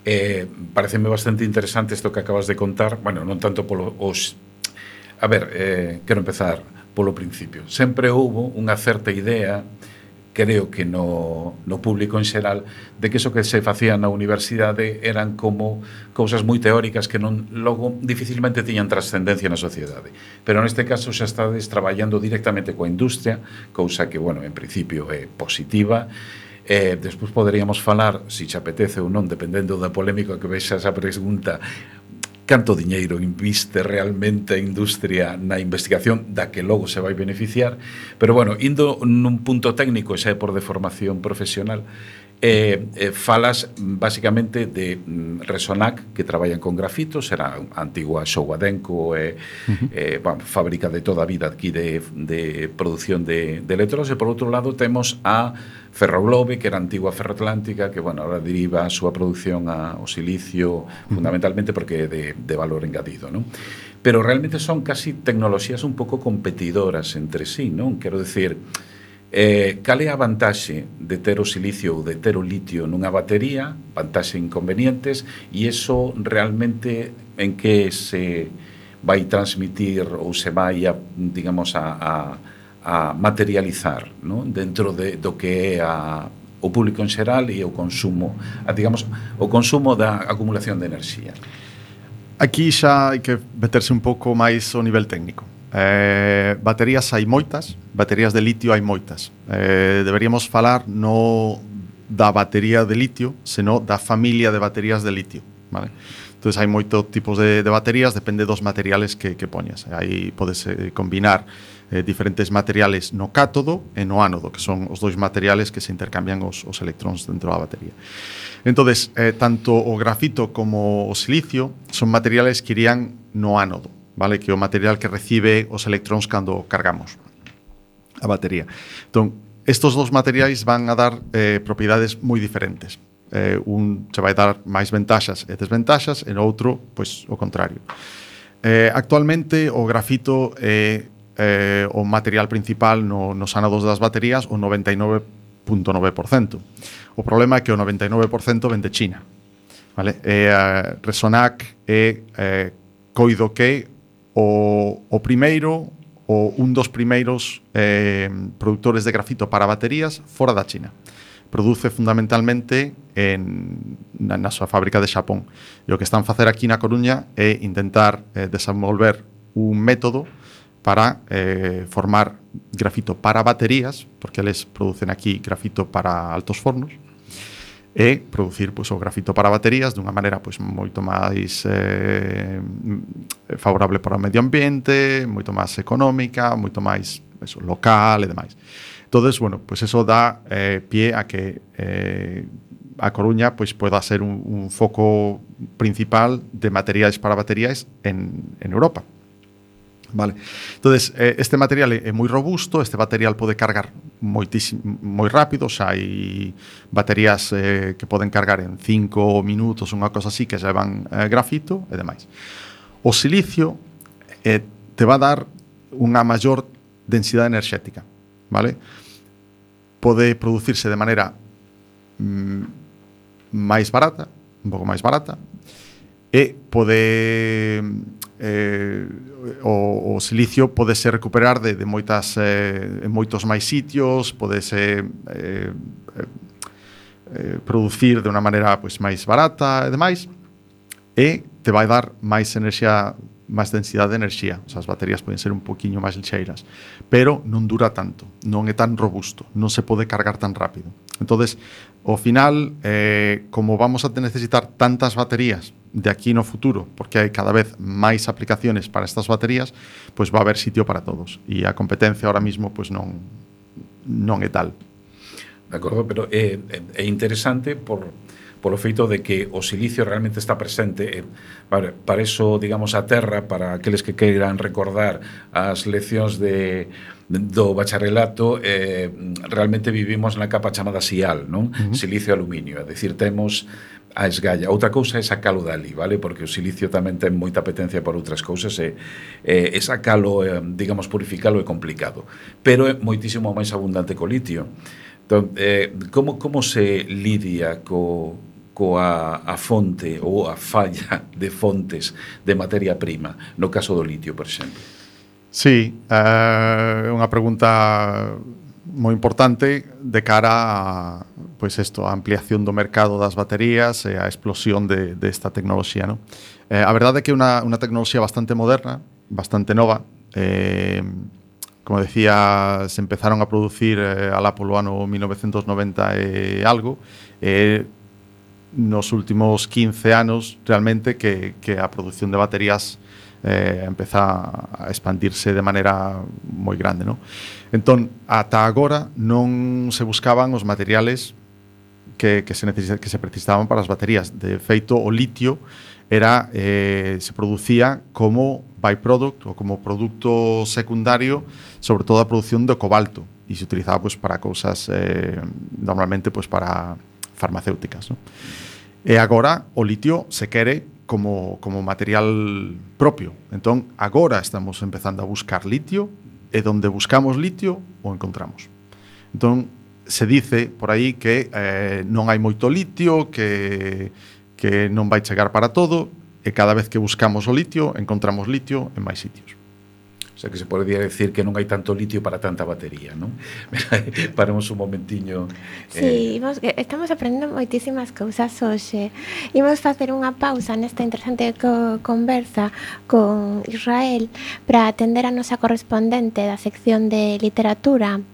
S3: eh, pareceme bastante interesante isto que acabas de contar, bueno, non tanto polo os... A ver, eh, quero empezar polo principio. Sempre houbo unha certa idea, creo que no, no público en xeral, de que iso que se facía na universidade eran como cousas moi teóricas que non logo dificilmente tiñan trascendencia na sociedade. Pero neste caso xa estades traballando directamente coa industria, cousa que, bueno, en principio é positiva. Eh, despois poderíamos falar, se si te apetece ou non, dependendo da polémica que vexa esa pregunta, canto diñeiro inviste realmente a industria na investigación da que logo se vai beneficiar, pero bueno, indo nun punto técnico, xa é por deformación profesional, Eh, eh, falas basicamente de mm, Resonac, que traballan con grafitos, era a antigua Showa-Denko, eh, uh-huh. eh, bueno, fábrica de toda a vida aquí de, de producción de, de electrodos, e por outro lado temos a Ferroglobe, que era a antigua Ferroatlántica, que bueno, ahora deriva a súa producción ao silicio, uh-huh. fundamentalmente porque é de, de valor engadido, non? Pero realmente son casi tecnoloxías un pouco competidoras entre sí, non? Quero decir, Eh, cal é a vantaxe de ter o silicio ou de ter o litio nunha batería, vantaxe e inconvenientes, e iso realmente en que se vai transmitir ou se vai a, digamos, a, a, a materializar, non? Dentro de, do que é a, o público en xeral e o consumo, a, digamos, o consumo da acumulación de enerxía.
S5: Aquí xa hai que meterse un pouco máis ao nivel técnico. Eh, baterías hai moitas, baterías de litio hai moitas. Eh, deberíamos falar no da batería de litio, senón da familia de baterías de litio, vale? Entón, hai moitos tipos de, de baterías, depende dos materiales que, que poñas. Aí podes eh, combinar eh, diferentes materiales no cátodo e no ánodo, que son os dois materiales que se intercambian os, os electróns dentro da batería. Entón, eh, tanto o grafito como o silicio son materiales que irían no ánodo, vale, que é o material que recibe os electróns cando cargamos a batería. Entón, estos dos materiais van a dar eh, propiedades moi diferentes. Eh, un se vai dar máis ventaxas e desventaxas, e no outro, pois, o contrario. Eh, actualmente, o grafito é eh, o material principal no, nos ánodos das baterías, o noventa e nove punto nove por cento. O problema é que o noventa e nove por cento ven de China. Vale? E, uh, Resonac é eh, coido que O, o primeiro, o un dos primeiros eh, produtores de grafito para baterías fora da China. Produce fundamentalmente en, na, na súa fábrica de Xapón. E o que están a facer aquí na Coruña é intentar eh, desenvolver un método para eh, formar grafito para baterías, porque eles producen aquí grafito para altos fornos, e producir, pois, o grafito para baterías dunha maneira, pois, moito máis eh, favorable para o medio ambiente, moito máis económica, moito máis eso, local e demais. Entonces, bueno, pois eso dá eh, pie a que eh, a Coruña, pois, poda ser un, un foco principal de materiais para baterías en, en Europa. Vale. Entonces, eh, este material é moi robusto, este material pode cargar moitísimo, moi rápido, xa hai baterías eh, que poden cargar en cinco minutos, unha cosa así, que xa van eh, grafito e demais. O silicio eh, te va a dar unha maior densidade enerxética, vale? Pode producirse de maneira mm, máis barata, un pouco máis barata, e pode eh, o, o silicio pode se recuperar de, de moitas eh, en moitos máis sitios, pode se eh, eh, producir de unha maneira, pois, máis barata e demais, e te vai dar máis enerxía, máis densidade de enerxía. O sea, as baterías poden ser un poquinho máis lixeiras, pero non dura tanto, non é tan robusto, non se pode cargar tan rápido. Entonces, ao final, eh, como vamos a necesitar tantas baterías de aquí no futuro, porque hai cada vez máis aplicaciones para estas baterías, pois va a haber sitio para todos. E a competencia ahora mismo, pois, non, non é tal.
S3: De acordo, pero é, é interesante por, polo feito de que o silicio realmente está presente. Eh, para, para eso, digamos, a terra, para aqueles que queiran recordar as leccións de do bacharelato, eh, realmente vivimos na capa chamada SIAL, non? Uh-huh. Silicio aluminio, é dicir, temos a esgalla. Outra cousa é sacalo dali, vale? Porque o silicio tamén ten moita apetencia por outras cousas e, e, e sacalo, eh, digamos, purificalo é complicado. Pero é moitísimo máis abundante co litio. Entón, eh, como, como se lidia co, coa a fonte ou a falla de fontes de materia prima, no caso do litio, por exemplo?
S5: Sí, é uh, unha pregunta moi importante de cara a, pois, isto, a ampliación do mercado das baterías e a explosión de, de esta tecnoloxía, ¿no? Eh, a verdade é que é unha, unha tecnoloxía bastante moderna, bastante nova. Eh, como decía, se empezaron a producir eh, alá polo ano mil novecentos noventa e algo. Eh, nos últimos quince anos realmente que, que a produción de baterías eh, empeza a expandirse de maneira moi grande, non? Entón, ata agora non se buscaban os materiales que, que, se, necesita, que se precisaban para as baterías. De feito, o litio era eh, se producía como byproduct ou como produto secundario, sobre todo a produción do cobalto, e se utilizaba pues, para cousas eh, normalmente pues, para farmacéuticas, non? E agora o litio se quere como, como material propio. Entón, agora estamos empezando a buscar litio, e donde buscamos litio o encontramos. Entón, se dice por aí que eh, non hai moito litio, que, que non vai chegar para todo, e cada vez que buscamos o litio, encontramos litio en máis sitios.
S3: O sea que se podría decir que non hai tanto litio para tanta batería, non? Paremos un momentiño.
S2: Sí, eh... imos, estamos aprendendo moitísimas cousas hoxe. Imos facer unha pausa nesta interesante co conversa con Israel para atender a nosa correspondente da sección de literatura,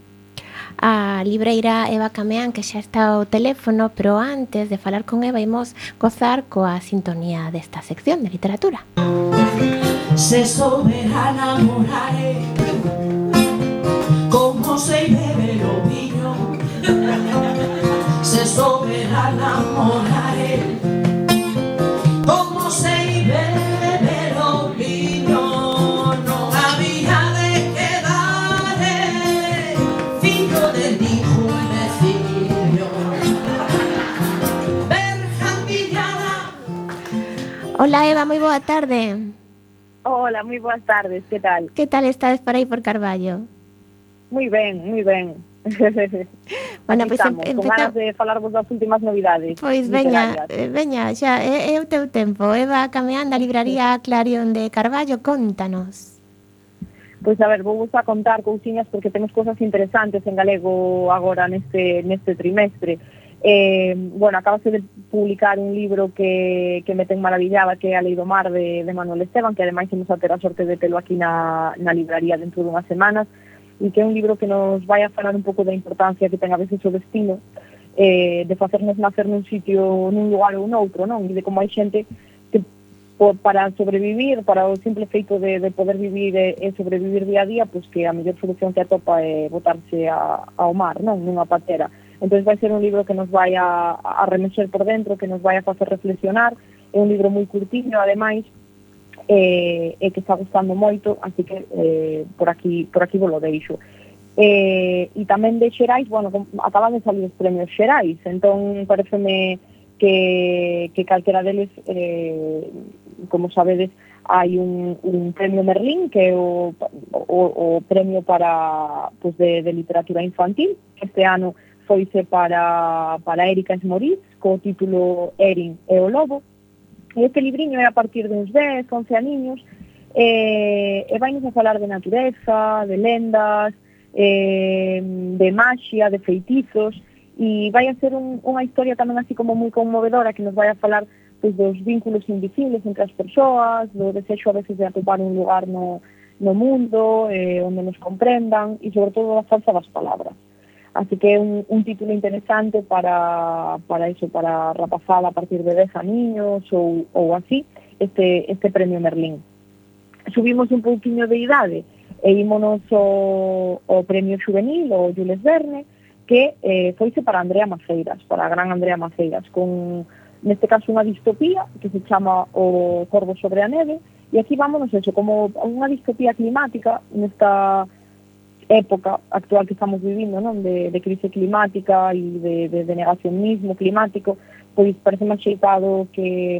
S2: a libreira Eva Cameán, que xa está ao teléfono, pero antes de falar con Eva imos gozar coa sintonía desta sección de literatura.
S6: Se soberana morare como se bebe o viño, se soberana morare como se bebe o viño, non había de quedar fillo de ningún vecino. Berjambillana.
S2: Hola Eva, moi boa tarde.
S7: Hola, moi boas tardes, que tal?
S2: Que tal estades por aí por Carballo?
S7: Moi ben, moi ben.
S2: Bueno, pois pues
S7: estamos, empeza... con ganas de falarvos das últimas novidades.
S2: Pois veña, veña, xa, é, é o teu tempo. Eva Cameán da libraría Clarion de Carballo, contanos.
S7: Pois a ver, vou vos a contar cousiñas porque temos cosas interesantes en galego agora neste, neste trimestre. Eh, bueno, acabase de publicar un libro que, que me ten maravillada, que é A Lei do Mar de, de Manuel Esteban, que ademais imos a ter a sorte de telo aquí na, na libraría dentro de unhas semanas, e que é un libro que nos vai a falar un pouco da importancia que ten a veces o destino, eh, de facernos nacer nun sitio, nun lugar ou noutro, non? E de como hai xente que por, para sobrevivir, para o simple feito de, de poder vivir e, e sobrevivir día a día, pois que a mellor solución que atopa é botarse a, ao mar, non? Nunha patera. Entón vai ser un libro que nos vai a, a remexer por dentro, que nos vai a facer reflexionar. É un libro moi curtiño, ademais, e eh, que está gustando moito, así que eh, por aquí por aquí vos lo deixo. Eh, e tamén de Xerais, bueno, acaban de salir os premios Xerais, entón pareceme que, que calquera deles, eh, como sabedes, hai un, un premio Merlín, que é o, o, o premio para, pues, de, de literatura infantil. Este ano foise para, para Erika Esmoriz, co título Erin e o Lobo. E este libriño é a partir de uns dez, once aniños, e, e vai-nos a falar de natureza, de lendas, eh, de maxia, de feitizos, e vai a ser un, unha historia tamén así como moi conmovedora, que nos vai a falar pues, dos vínculos invisibles entre as persoas, do desexo a veces de atopar un lugar no, no mundo, eh, onde nos comprendan, e sobre todo a forza das palabras. Así que é un, un título interesante para, para eso, para rapazada a partir de dez aniños ou, ou así, este, este premio Merlín. Subimos un pouquiño de idade e ímonos o, o premio juvenil, o Jules Verne, que eh, foise para Andrea Maceiras, para a gran Andrea Maceiras, con, neste caso, unha distopía que se chama O Corvo sobre a neve, e aquí vámonos eso, como unha distopía climática nesta época actual que estamos vivindo, non? De, de crise climática e de, de, de negacionismo climático, pois parece máis xeitado que,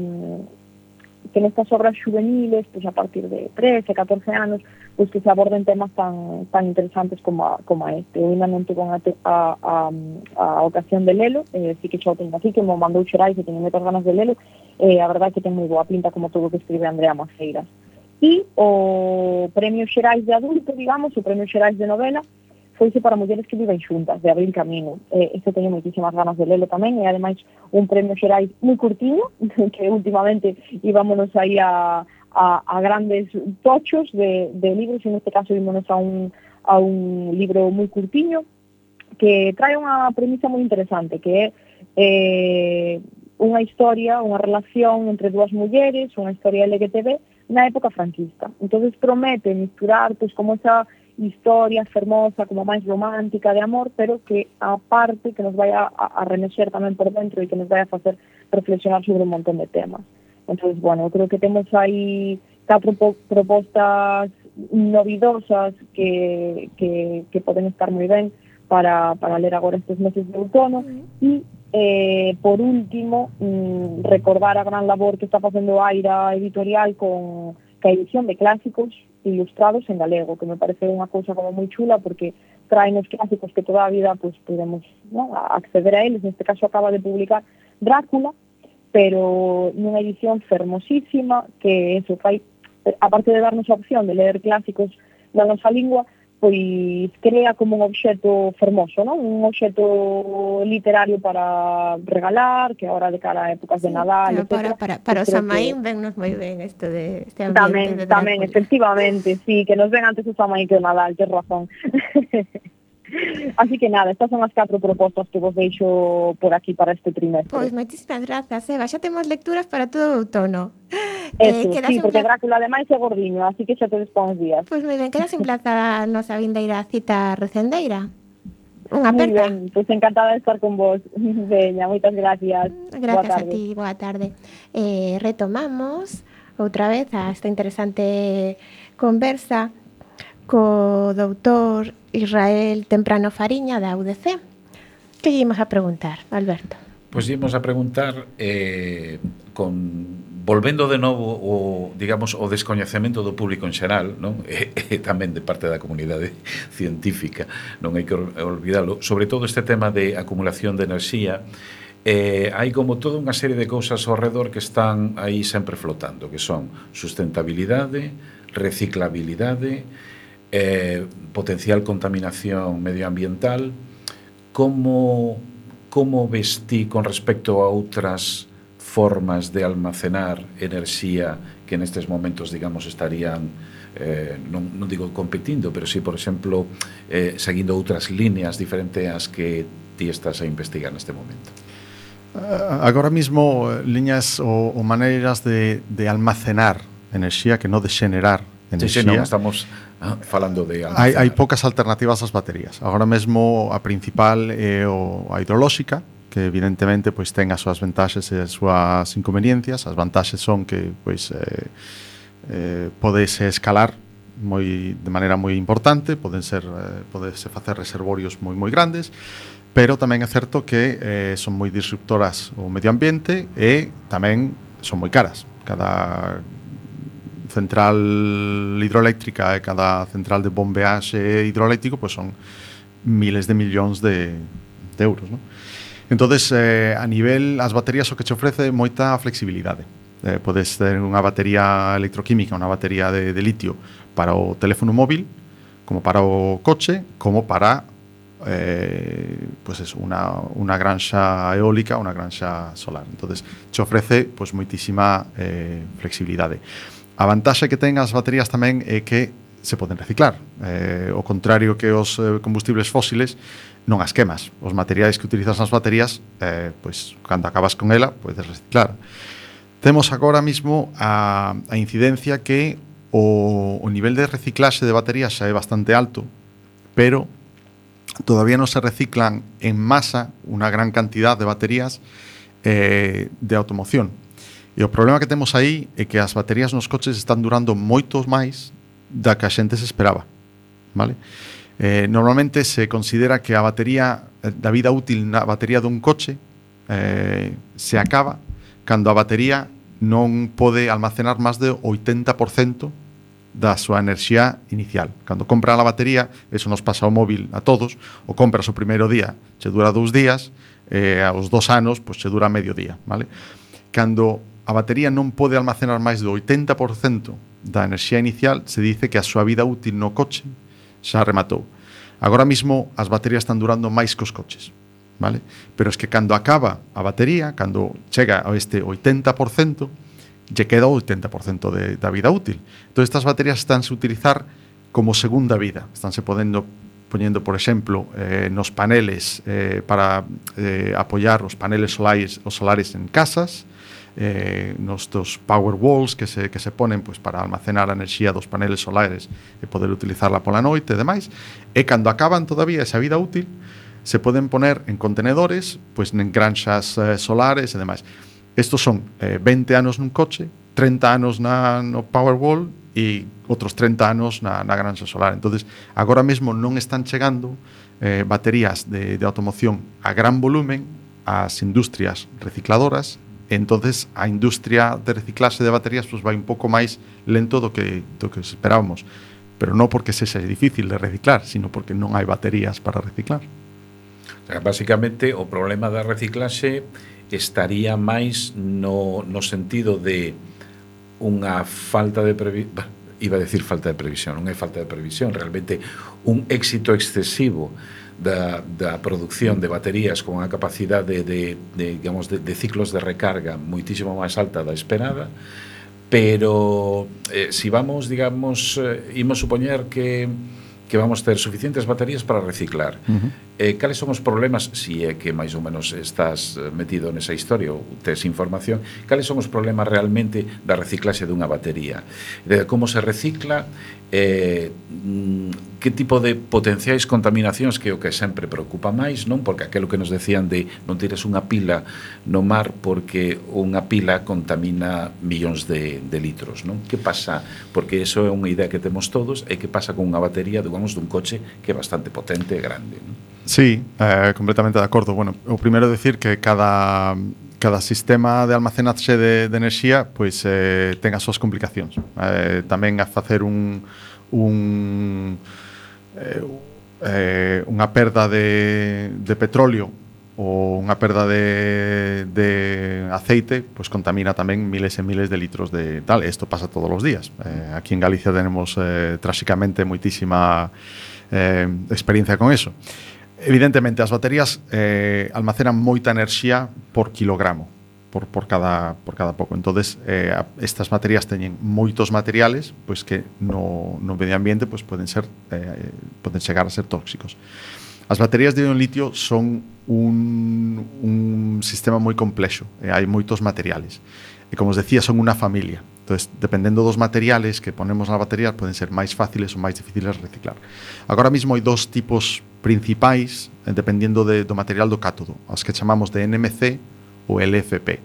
S7: que nestas obras juveniles, pois a partir de trece, catorce anos, pois que se aborden temas tan, tan interesantes como a, como a este. Eu ainda non tuve a, a, a, a ocasión de lelo, eh, sí que xa o tenho aquí, que me mandou Xerais e teño moitas ganas de lelo, e eh, a verdade é que ten moi boa pinta como todo o que escribe Andrea Maceiras. E o premio Xerais de adulto, digamos, o premio Xerais de novela, foise para mulleres que viven xuntas, de Abril Camino. Eh, este teño moitísimas ganas de lelo tamén, e ademais un premio Xerais moi curtiño, que últimamente íbamos aí a, a, a grandes tochos de, de libros, e neste caso ímonos a un, a un libro moi curtiño, que trae unha premisa moi interesante, que é eh, unha historia, unha relación entre dúas mulleres, unha historia L G T B na época franquista. Entonces promete misturar pois como esa historia fermosa, como máis romántica de amor, pero que a parte que nos vai a, a remexer tamén por dentro e que nos vai a facer reflexionar sobre un montón de temas. Entonces, bueno, creo que temos aí catro po- propostas novidosas que, que, que poden estar moi ben para, para ler agora estes meses de outono. E Eh, por último, mmm, recordar a gran labor que está facendo Aira Editorial con a edición de clásicos ilustrados en galego, que me parece unha cousa como moi chula, porque traen os clásicos que toda a vida pues, podemos, ¿no?, acceder a eles. Neste caso acaba de publicar Drácula, pero nunha edición fermosísima, que eso fai, aparte de darnos a opción de ler clásicos na nosa lingua, pois crea como un obxeto fermoso, non? Un obxeto literario para regalar, que agora de cara a épocas de Nadal,
S2: Claro, para,
S7: etcétera.
S2: para, para os
S7: Creo
S2: Samaín
S7: que-
S2: vennos moi ben isto de este ambiente
S7: Tamén,
S2: de
S7: tamén,
S2: Drácula.
S7: efectivamente, sí, que nos ven antes o Samaín que o Nadal, tens razón. Así que nada, estas son as catro propostas que vos deixo por aquí para este trimestre.
S2: Pois moitísimas grazas, Eva. Xa temos lecturas para todo o outono.
S7: Eso,
S2: quedas
S7: sí,
S2: en
S7: porque
S2: pla-
S7: Drácula ademais é gordiño, así que xa te despons días.
S2: Pois moi ben, quedas emplazada a nosa vindeira cita recendeira. Unha
S7: Muy
S2: aperta.
S7: ben, pois encantada de estar con vos. Veña, moitas gracias. Boa
S2: Gracias a
S7: tarde.
S2: ti, boa tarde. Eh, retomamos outra vez a esta interesante conversa co doutor Israel Temprano Fariña da U D C. Que lle imos a preguntar, Alberto?
S3: Pois ímos a preguntar eh, con volvendo de novo o, digamos, o descoñecemento do público en xeral, non? E, e tamén de parte da comunidade científica, non hai que olvidalo, sobre todo este tema de acumulación de enerxía. Eh, hai como toda unha serie de cousas ao redor que están aí sempre flotando, que son sustentabilidade, reciclabilidade, eh, potencial contaminación medioambiental. Como, como ves ti con respecto a outras formas de almacenar enerxía que nestes momentos, digamos, estarían eh, non, non digo competindo, pero sí, por exemplo, eh, seguindo outras líneas diferentes ás que ti estás a investigar neste momento?
S5: Uh, agora mismo, eh, liñas ou, ou maneiras de, de almacenar enerxía, que non de xenerar
S3: Sí, sí,
S5: enerxía.
S3: non, estamos ah, falando de
S5: Hai,
S3: almacenar.
S5: hai poucas alternativas ás baterías. Agora mesmo a principal é o, a hidrolóxica, que evidentemente pois ten as súas vantaxes e as súas inconveniencias. As vantaxes son que pois eh, eh, podese escalar moi de maneira moi importante, poden ser eh, podese facer reservorios moi moi grandes, pero tamén é certo que eh, son moi disruptoras ao medio ambiente e tamén son moi caras. Cada central hidroeléctrica e cada central de bombeaxe hidroeléctrico pois son miles de millóns de, de euros, non? Entonces, eh, a nivel, as baterías o que che ofrece moita flexibilidade. Eh, podes ter unha batería electroquímica, unha batería de, de litio para o teléfono móvil, como para o coche, como para eh, pues eso, unha, unha granxa eólica, unha granxa solar. Entonces, che ofrece pues, moitísima eh, flexibilidade. A vantaxe que ten as baterías tamén é que se poden reciclar. Eh, o contrario que os eh, combustibles fósiles, non as quemas. Os materiais que utilizas nas baterías, eh, pois, cando acabas con ela, podes reciclar. Temos agora mismo a, a incidencia que o, o nivel de reciclaxe de baterías xa é bastante alto, pero todavía non se reciclan en masa unha gran cantidad de baterías eh, de automoción. E o problema que temos aí é que as baterías nos coches están durando moitos máis da que a xente se esperaba, vale? Eh, normalmente se considera que a batería da vida útil na batería dun coche eh, se acaba cando a batería non pode almacenar máis de oitenta por cento da súa enerxía inicial. Cando compra a batería, eso nos pasa ao móvil a todos, o compras o primeiro día, che dura dous días, e eh, aos dos anos, pois che dura medio día, vale? Cando a batería non pode almacenar máis do oitenta por cento da enerxía inicial, se dice que a súa vida útil no coche xa rematou. Agora mismo as baterías están durando máis que os coches, vale? Pero es que cando acaba a batería, cando chega a este oitenta por cento, lle queda o oitenta por cento de, da vida útil. Entón estas baterías estánse a utilizar como segunda vida, estánse podendo poñendo, por exemplo, eh, nos paneles eh, para eh, apoiar os paneles solares, os solares en casas, eh, nos dos power walls que se, que se ponen pues, para almacenar a enerxía dos paneles solares e poder utilizarla pola noite e demais, e cando acaban todavía esa vida útil, se poden poner en contenedores, pues, en granxas eh, solares e demais. Estos son eh, vinte anos nun coche, treinta anos na, no Powerwall e outros treinta anos na, na granxa solar. Entonces, agora mesmo non están chegando eh, baterías de, de automoción a gran volumen ás industrias recicladoras. Entonces, a industria de reciclaxe de baterías pues, vai un pouco máis lento do que, do que esperábamos. Pero non porque sexa difícil de reciclar, sino porque non hai baterías para reciclar.
S3: O sea, básicamente, o problema da reciclaxe estaría máis no, no sentido de unha falta de previsión, iba a decir falta de previsión, non é falta de previsión, realmente un éxito excesivo da, da producción de baterías con a capacidade de, de, digamos, de, de ciclos de recarga moitísimo máis alta da esperada, pero eh, si vamos, digamos, eh, imos supoñer que que vamos ter suficientes baterías para reciclar. Uh-huh. Eh, cales son os problemas, si é que máis ou menos estás metido nesa historia ou tes información, cales son os problemas realmente da reciclaxe dunha batería? De como se recicla, eh, que tipo de potenciais contaminacións que é o que sempre preocupa máis, non? Porque aquelo que nos decían de non tires unha pila no mar porque unha pila contamina millóns de, de litros, non? Que pasa? Porque iso é unha idea que temos todos, e que pasa con unha batería, digamos, dun coche que é bastante potente e grande, non?
S5: Sí, eh, completamente de acordo. Bueno, o primeiro decir que cada cada sistema de almacenaxe de, de enerxía pois eh, ten as súas complicacións. Eh, tamén a facer un un eh, eh, unha perda de, de petróleo ou unha perda de, de aceite, pois contamina tamén miles e miles de litros de tal. Isto pasa todos os días. Eh, aquí en Galicia tenemos eh, tráxicamente moitísima eh, experiencia con eso. Evidentemente, as baterías eh, almacenan moita enerxía por kilogramo, por, por, cada, por cada pouco. Entonces, eh, estas baterías teñen moitos materiales pois que no, no medio ambiente pois poden ser eh, poden chegar a ser tóxicos. As baterías de ion litio son un, un sistema moi complexo, e hai moitos materiales. E como os decía, son unha familia. Entonces, dependendo dos materiales que ponemos na batería, poden ser máis fáciles ou máis difíciles de reciclar. Agora mesmo hai dos tipos principais, dependendo de, do material do cátodo, as que chamamos de N M C ou L F P.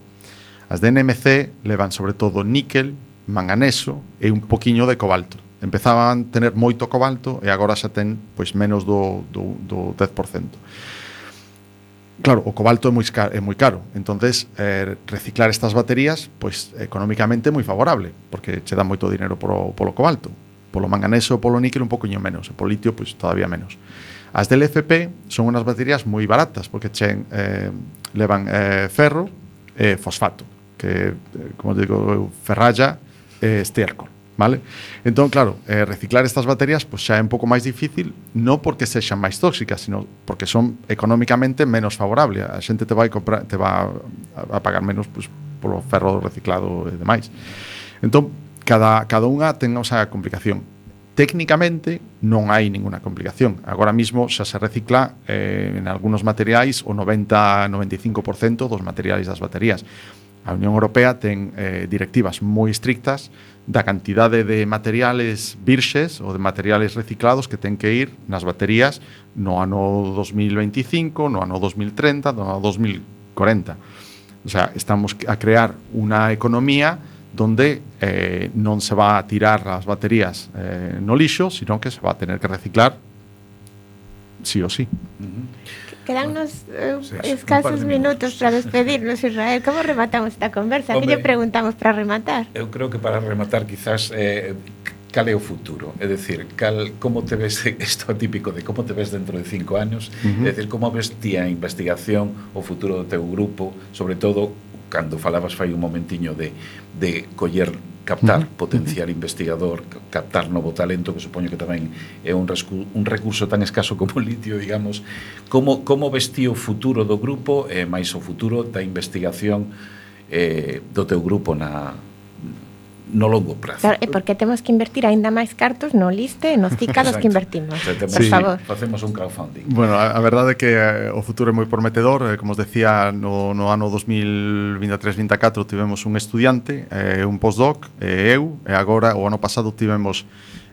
S5: As de N M C levan sobre todo níquel, manganeso e un poquiño de cobalto. Empezaban a tener moito cobalto e agora xa ten pois menos do, do, do dez por cento. Claro, o cobalto é moi caro, é moi caro. Entonces, eh, reciclar estas baterías, pois económicamente é moi favorable, porque che dá moito dinero polo, polo cobalto. Polo manganeso, polo níquel un poquinho menos, e polo litio, pois todavía menos. As del F P son unhas baterías moi baratas, porque che eh, levan eh, ferro e fosfato, que, eh, como digo, ferralla e estiércol. Vale? Entón, claro, eh, reciclar estas baterías pues, xa é un pouco máis difícil, non porque sexan máis tóxicas, sino porque son económicamente menos favorables. A xente te vai comprar, te va a pagar menos pues, polo ferro reciclado e demais. Entón, cada, cada unha ten a sea, complicación. Técnicamente non hai ninguna complicación. Agora mismo xa se recicla eh, en algunos materiais o noventa a noventa e cinco por cento dos materiais das baterías. A Unión Europea ten eh, directivas moi estrictas da cantidade de materiales virxes ou de materiales reciclados que ten que ir nas baterías no ano dos mil veinticinco, no ano dos mil treinta, no ano dos mil cuarenta. O sea, estamos a crear unha economía donde eh, non se va a tirar as baterías eh, no lixo, sino que se va a tener que reciclar sí o sí.
S3: Uh-huh.
S2: Quedannos eh,
S3: sí,
S2: escasos minutos para despedirnos, Israel. Como rematamos esta conversa? Que lle preguntamos para rematar?
S3: Eu creo que para rematar quizás eh, cal é o futuro, é dicir, cal, como te ves, isto é típico de como te ves dentro de cinco anos, uh-huh. É dicir, como ves ti a investigación, o futuro do teu grupo, sobre todo cando falabas fai un momentiño de, de coller, captar, uh-huh. potenciar investigador, captar novo talento, que supoño que tamén é un, rescu, un recurso tan escaso como o litio, digamos. Como, como ves ti o futuro do grupo e máis o futuro da investigación eh, do teu grupo na, no longo prazo.
S2: Claro, e porque temos que invertir aínda máis cartos no liste e nos cicados que invertimos.
S3: O sea, temos,
S2: por
S5: sí.
S2: favor.
S3: Facemos un crowdfunding.
S5: Bueno, a, a verdade é que eh, o futuro é moi prometedor, eh, como os decía, no, no ano dos mil vinte e tres vinte e catro tivemos un estudiante, eh, un postdoc, e eh, eu, e agora o ano pasado tivemos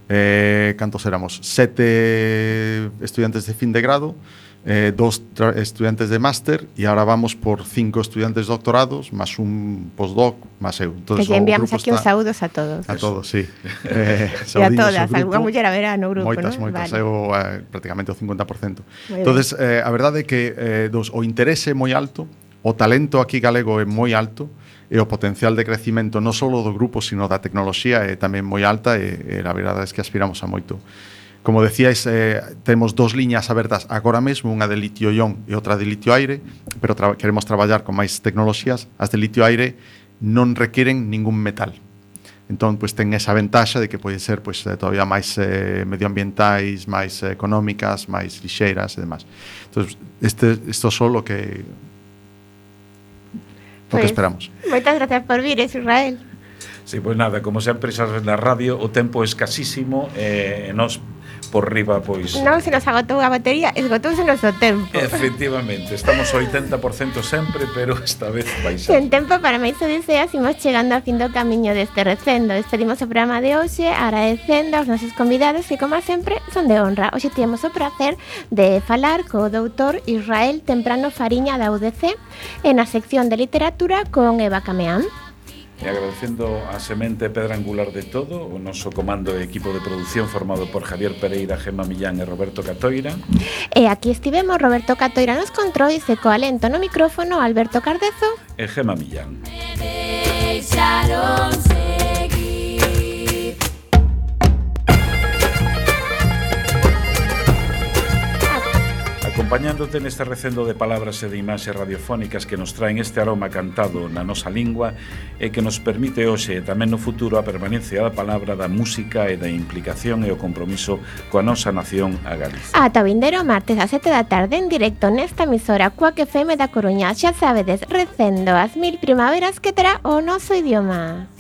S5: eh, cantos éramos? Sete estudiantes de fin de grado, eh, dos estudiantes de máster e ahora vamos por cinco estudiantes de doctorados máis un postdoc máis eu.
S2: Que lle enviamos aquí uns saúdos a todos.
S5: A todos, sí. Eh,
S2: e a todas, algunha muller haberá no grupo,
S5: moitas,
S2: ¿no?
S5: moitas,
S2: Vale.
S5: eu eh, prácticamente o cincuenta por cento.
S2: Moi
S5: Entonces, eh, a verdade é que eh, dos, o interese é moi alto, o talento aquí galego é moi alto, e o potencial de crecimento non só do grupo, sino da tecnoloxía é tamén moi alta, e, e a verdade é que aspiramos a moito. Como decíais, eh, temos dos liñas abertas agora mesmo, unha de litio-ion e outra de litio-aire, pero tra queremos traballar con máis tecnoloxías. As de litio-aire non requiren ningún metal. Entón, pois, ten esa ventaxa de que pode ser pois, todavía máis eh, medioambientais, máis eh, económicas, máis lixeiras e demás. Entón, este, isto só o que, o
S2: Pois,
S5: que esperamos.
S2: Moitas gracias por vir, Israel.
S3: Sí, pois nada, como sempre sabes na radio, o tempo é escasísimo e eh, nos por riba, pois...
S2: Non se nos agotou a batería, esgotouse o noso tempo.
S3: Efectivamente, estamos ao oitenta por cento sempre, pero esta vez baixamos.
S2: Sen tempo para máis odiseas, imos chegando ao fin do camiño deste recendo. Despedimos o programa de hoxe agradecendo aos nosos convidados que, como sempre, son de honra. Hoxe temos o prazer de falar co doutor Israel Temprano Fariña da U D C e na sección de literatura con Eva Cameán.
S3: E agradecendo a semente pedra angular de todo, o noso comando e equipo de produción formado por Javier Pereira, Gemma Millán e Roberto Catoira.
S2: E aquí estivemos Roberto Catoira nos controis e co alento no micrófono Alberto Cardezo
S3: E Gemma Millán.
S1: Deixaron seguir.
S3: Acompañándote neste recendo de palabras e de imaxes radiofónicas que nos traen este aroma cantado na nosa lingua e que nos permite hoxe e tamén no futuro a permanencia da palabra, da música e da implicación e o compromiso coa nosa nación a Galicia.
S2: ata o vindeiro martes a sete da tarde en directo nesta emisora Cuac F M da Coruña. Xa sabedes, recendo as mil primaveras que terá o noso idioma.